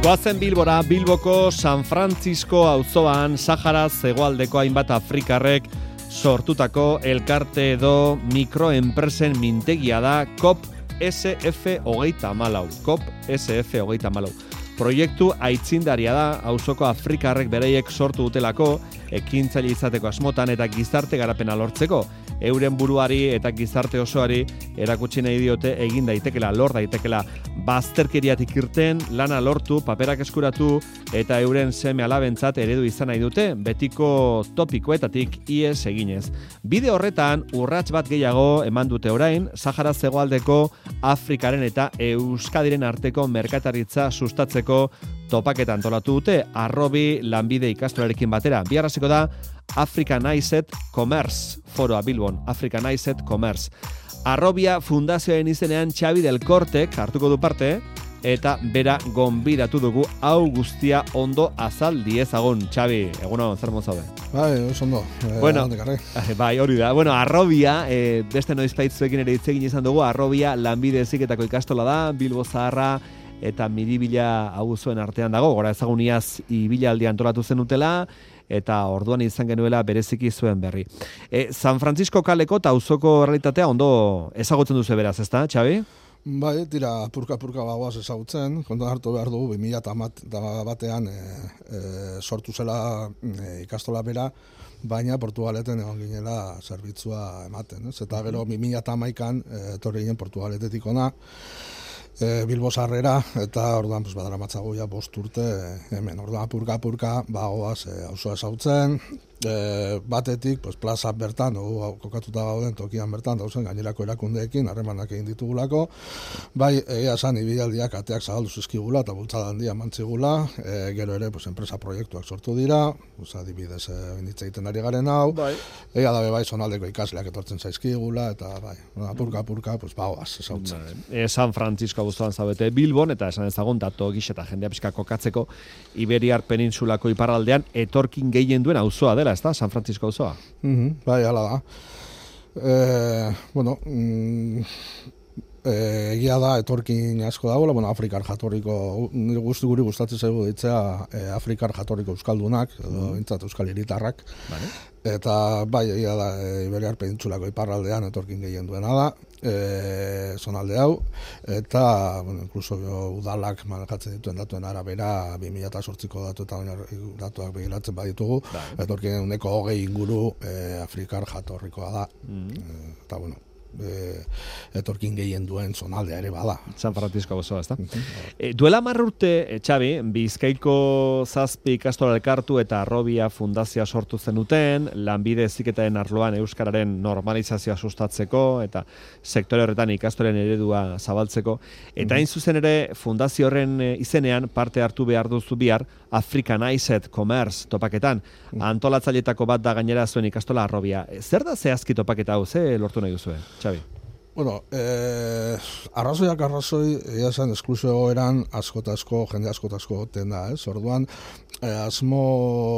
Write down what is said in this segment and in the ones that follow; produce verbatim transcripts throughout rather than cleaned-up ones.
Goazen Bilbora, Bilboko San Francisco auzoan Saharaz hegoaldeko hainbat afrikarrek sortutako elkarte edo mikroenpresen mintegia da C O P S F hogeita hamalau. C O P S F hogeita hamalau. Proiektu aitzindaria da, auzoko afrikarrek bereiek sortu dutelako, ekintzaile izateko asmotan eta gizarte garapena lortzeko. Euren buruari eta gizarte osoari erakutsi nahi diote egin daitekela, lor daitekela bazterkeriatik irten, lana lortu, paperak eskuratu eta euren seme alabentzat eredu izan nahi dute, betiko topikoetatik ies eginez. Bide horretan, urrats bat gehiago eman dute orain, Saharaz hegoaldeko Afrikaren eta Euskadiren arteko merkataritza sustatzeko topaketa antolatu dute, Arrobi lanbide ikastolarekin batera. Biarraziko da Africanized Commerce, foroa Bilbon, Africanized Commerce. Arrobia fundazioaren izenean Xabi del Cortek hartuko du parte, eta bera gonbidatu dugu hau guztia ondo azal diezagun. Xabi, egunon, zer mozaude? Bai, oso ondo. Eh, bueno, bai, hori da. Bueno, Arrobia, eh, beste noizpaitzuekin ere hitz egin izan dugu, Arrobia lanbide heziketako ikastola da, Bilbo Zaharra eta Miribila auzoen artean dago, gora ezaguniaz ibilaldi antolatu zenutela, eta orduan izan genuela bereziki zuen berri. E, San Francisco kaleko eta auzoko realitatea ondo ezagutzen duzu beraz, ezta, Xabi? Bai, tira, purka-purka bagoaz ezagutzen, kontuan hartu behar dugu, bi mila batean e, e, sortu zela e, ikastola bera, baina Portugaleten egon ginela zerbitzua ematen, ez? Eta gero bi mila hamaikan etorri ginen Portugaletetik ona, E, Bilbo Zaharrera, eta orduan pues, badara matzago ja bost urte hemen, orduan purka-purka bagoaz e, auzoa ezautzen, e, batetik pues, plaza bertan, o, kokatuta gauden tokian bertan, dauzen gainerako erakundeekin, harremanak egin ditugulako, bai, egia esan ibilaldiak ateak zabaldu zizkigula eta bultzada handia mantzigula, e, gero ere pues, enpresa proiektuak sortu dira, pues, adibidez inditza egiten ari garen hau, bai. Egia dabe bai zonaldeko ikasleak etortzen zaizkigula, eta bai, purka-purka pues, bagoaz ezautzen. E, San Francisco guztuan zaudete Bilbon, eta esan ezagun dato gisa eta jendea pixka kokatzeko Iberiar penintsulako iparraldean etorkin gehien duen auzoa dela, ez da, San Francisco auzoa? Mm-hmm, bai, hala da. E, bueno, mm, egia da etorkin asko dagoela, bueno, Afrikar jatorriko, guzti guri gustatzen zaigu ditzea e, Afrikar jatorriko euskaldunak, edo bintzat euskal hiritarrak. Vale. Eta bai, egia da, e, Iberiar penintsulako iparraldean etorkin gehien duena da, e, zonalde hau, eta, bueno, inkluso udalak manejatzen dituen datuen arabera, bi mila zortziko datu eta datuak begiratzen baditugu, vale. Etorkin uneko hogei inguru e, Afrikar jatorrikoa da, mm-hmm. e, eta, bueno, E, etorkin gehien duen zonaldea ere bada. San Francisco gozoa, ezta? Mm-hmm. E, duela hamar urte, e, Xabi, Bizkaiko zazpi ikastola elkartu eta Arrobia fundazioa sortu zenuten, lanbide heziketaren arloan euskararen normalizazioa sustatzeko eta sektore horretan ikastolen eredua zabaltzeko. Eta hain zuzen ere fundazio horren izenean parte hartu behar duzu bihar Africanized Commerce topaketan. Antolatzailetako bat da gainera zuen ikastola Arrobia. Zer da zehazki topaketa hau, ze lortu nahi duzue? Xabi. Bueno, eh, arrazoiak arrazoi, egia zen, esklusio eran asko-asko, jende asko-asko goten da, ez? Orduan, eh, asmo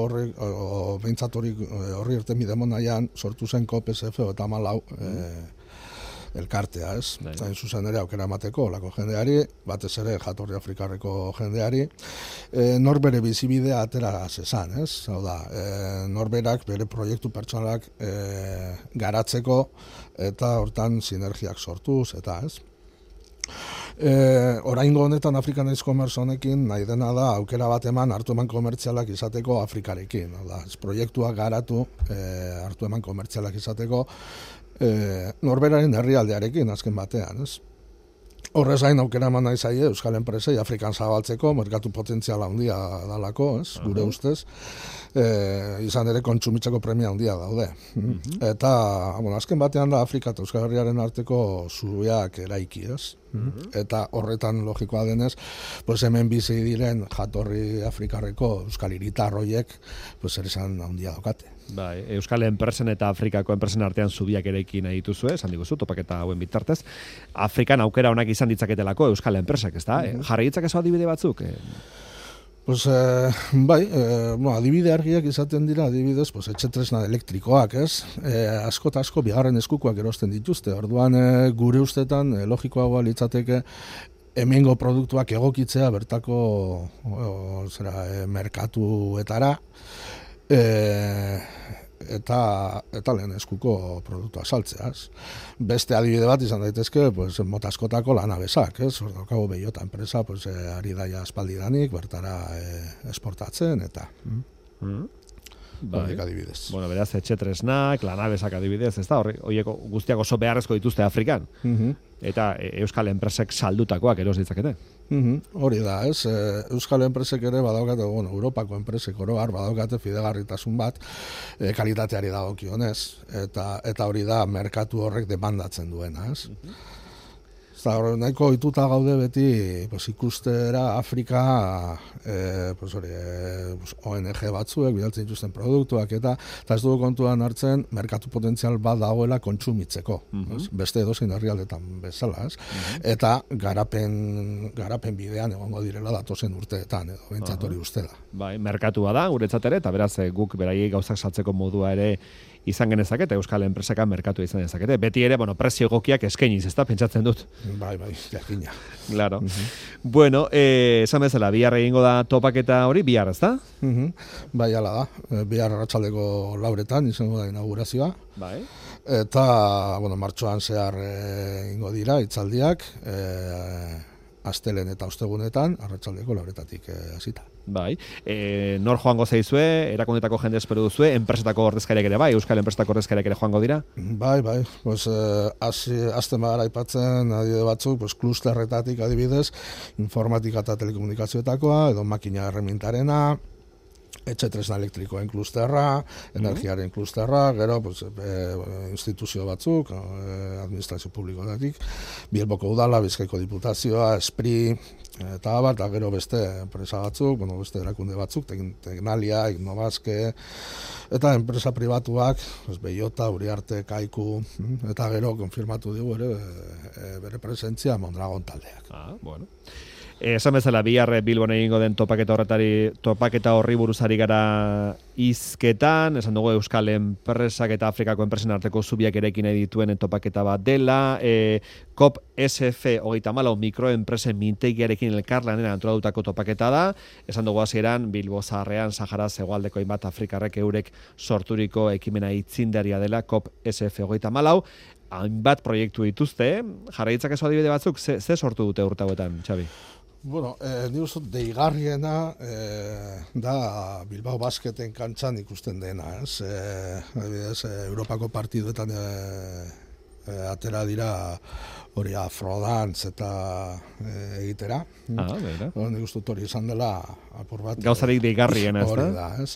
horri, o, behintzat horri, horri irten bidemon nahian, sortu zen C O P S F eta malau, eh, elkartea, ez? Zain zuzen ere aukera emateko lako jendeari, batez ere jatorri afrikarreko jendeari, e, norbere bizibidea atera zezan, ez? Hau da, e, norberak bere proiektu pertsonalak e, garatzeko eta hortan sinergiak sortuz, eta ez? E, oraingo honetan Africanized Commerce honekin nahi dena da aukera bat eman hartu eman komertzialak izateko Afrikarekin. Da, proiektuak garatu e, hartu eman komertzialak izateko e, norberaren herrialdearekin azken batean, ez? Horrez gain aukera eman nahi zaie euskal enpresei Afrikan zabaltzeko, merkatu potentziala handia dalako, ez? Gure uh-huh. ustez. E, izan ere kontsumitzeko premia handia daude. Uh-huh. Eta, bueno, azken batean da Afrika eta Euskal Herriaren arteko zubiak eraiki, ez? Uh-huh. Eta horretan logikoa denez, pues hemen bizi diren jatorri afrikarreko euskal hiritarroiek, pues ere esan handia daukate. Bai, euskal enpresen eta Afrikako enpresen artean zubiak erekin nahi dituzue, esan diguzu, topaketa hauen bitartez. Afrikan aukera onak izan ditzaketelako euskal enpresak, ez da? Uh-huh. Jarri ditzakezu adibide batzuk? Eh? Pues, eh, bai, eh, bueno, adibide argiak izaten dira, adibidez, pues, etxetresna elektrikoak, ez? Eh, asko eta asko bigarren eskukoak erosten dituzte. Orduan, eh, gure ustetan, eh, logikoagoa litzateke, hemengo produktuak egokitzea bertako o, zera, e, merkatuetara, e, eta eta lehen eskuko produktua saltzeaz. Beste adibide bat izan daitezke, pues, mota askotako lanabesak, ez? Hor daukagu Bellota enpresa, pues, e, ari daia aspaldidanik, bertara e, esportatzen, eta... Mm. Bai. Adibidez. Bueno, beraz, etxetresnak, lanabesak adibidez, ez da, horiek guztiak oso beharrezko dituzte Afrikan. Mm-hmm. Eta e, Euskal enpresek saldutakoak eros ditzakete. Mm-hmm. Hori da, ez? E, Euskal enpresek ere badaukate, bueno, Europako enpresek oro har badaukate fidegarritasun bat e, kalitateari dagokionez, eta eta hori da merkatu horrek demandatzen duena, ez? Mm-hmm. Eta hor, nahiko ohituta gaude beti pues, ikustera Afrika e, pues, hori, e, pues, O N G batzuek bidaltzen dituzten produktuak eta eta ez dugu kontuan hartzen merkatu potentzial bat dagoela kontsumitzeko. Mm-hmm. Beste edozein herrialdetan bezala, ez? Mm-hmm. Eta garapen, garapen bidean egongo direla datozen urteetan, edo bentsat hori ustela. Bai, merkatua da, guretzat ere, eta beraz guk beraiei gauzak saltzeko modua ere izan genezakete, Euskal enpresaka merkatu izan dezakete. Beti ere, bueno, prezio egokiak eskainiz, ez da, pentsatzen dut. Bai, bai, jakina. Claro. Uh-huh. Bueno, eh, esan bezala, bihar egingo da topaketa hori, bihar, ez da? Uh-huh. Bai, ala da. Bihar arratsaldeko lauretan izango da inaugurazioa. Bai. Eta, bueno, martxoan zehar egingo dira, hitzaldiak, eh, astelen eta ostegunetan, arratsaldeko lauretatik hasita. Bai, e, nor joango zaizue, erakundetako jende espero duzue, enpresetako ordezkariak ere bai, Euskal enpresetako ordezkariak ere joango dira? Bai, bai, pues, eh, azten bagara aipatzen adibide batzuk, pues, klusterretatik adibidez, informatika eta telekomunikazioetakoa, edo makina erremintarena, etxe tresna elektrikoen klusterra, energiaren klusterra, gero pues, e, instituzio batzuk, e, administrazio publikoetatik, Bilboko udala, Bizkaiko diputazioa, Espri, eta abar, eta gero beste enpresa batzuk, bueno, beste erakunde batzuk, Tecnalia, Innovaske, eta enpresa pribatuak, pues, Bellota, Uriarte, Kaiku, eta gero konfirmatu digu ere e, bere presentzia Mondragon taldeak. Ah, bueno. Esan bezala, bihar Bilbon egingo den topaketa horretari, topaketa horri buruzari gara hizketan, esan dugu Euskal enpresak eta Afrikako enpresen arteko zubiak erekin nahi dituen topaketa bat dela, e, COP S F hogeita hamalau mikroenpresen mintegiarekin elkarlanen antolatutako topaketa da, esan dugu hasieran Bilbo zaharrean Sahara hegoaldeko hainbat Afrikarrek eurek sorturiko ekimena itzindaria dela COP S F hogeita hamalau, hainbat proiektu dituzte, jarraitzak ez adibide batzuk, ze, ze sortu dute urte hauetan, Xabi? Bueno, eh, ni uste deigarriena eh, da Bilbao Basketen kantxan ikusten dena, ez? Eh, adibidez, eh, Europako partiduetan eh, eh, atera dira hori afrodantz eta eh, egitera. Ah, beira. Nik uste hori izan dela apur bat. Gauzarik deigarriena, ez da? Hori da, ez?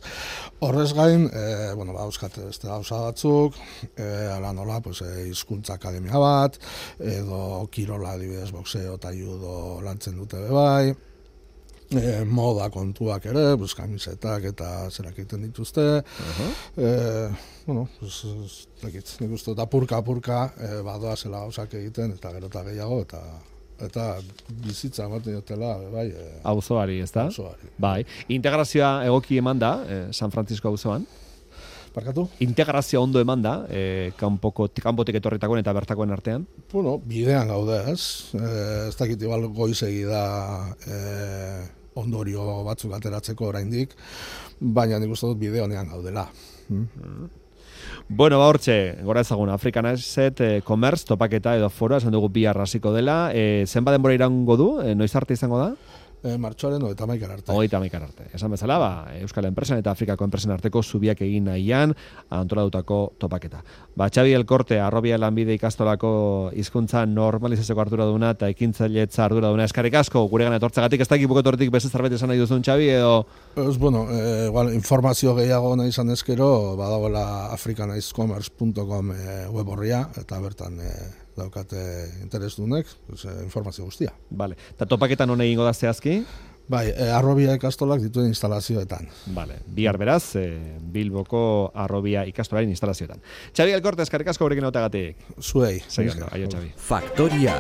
Horrez gain, eh, bueno, ba, euskate beste gauza batzuk, eh, ala nola, pues, eh, hizkuntza akademia bat, edo kirola adibidez boxeo eta judo lantzen dute bebai, eh, moda kontuak ere, pues, kamisetak eta zerak egiten dituzte, uh-huh. eh, bueno, pues, nekit, nik uste, eta purka-purka eh, badoa zela gauzak egiten, eta gero eta gehiago, eta eta bizitza ematen dutela, bai... Eh, auzoari, ez da? Auzoari. Bai. Integrazioa egoki eman da, eh, San Francisco auzoan? Barkatu? Integrazioa ondo eman da, eh, kanpoko, kanpotik etorritakoen eta bertakoen artean? Bueno, bidean gaude, ez? Eh, ez dakit igual goizegi da eh, ondorio batzuk ateratzeko oraindik, baina nik uste dut bide honean gaudela. Hmm? Hmm. Bueno, ba hortxe, gora ezagun, African Asset eh, Commerce, topaketa edo foroa, esan dugu bihar hasiko dela. Eh, zenba denbora irango du? Eh, noiz arte izango da? E, martxoaren hogeita hamaikar arte. Hogeita hamaikar arte. Esan bezala, ba, Euskal enpresen eta Afrikako enpresen arteko zubiak egin nahian antolatutako topaketa. Ba, Xabi Elkorte, Arrobia Lanbide ikastolako hizkuntza normalizatzeko arduraduna eta ekintzailetza arduraduna eskarrik asko guregan etortzagatik, ez da ekipuketortik beste zerbait esan nahi duzun, Xabi, edo... Ez, bueno, e, igual, informazio gehiago nahi izan ezkero, badagoela africanizecommerce punto com e, web horria, eta bertan e, daukate interesdunek, pues, e, informazio guztia. Vale. Eta topaketan hone egingo da zehazki? Bai, e, Arrobia ikastolak dituen instalazioetan. Vale. Bihar beraz, e, Bilboko Arrobia ikastolaren instalazioetan. Xabi Elkorte, eskarrik asko gurekin hautagatik. Zuei. Segundo, aio, Xabi. Faktoria.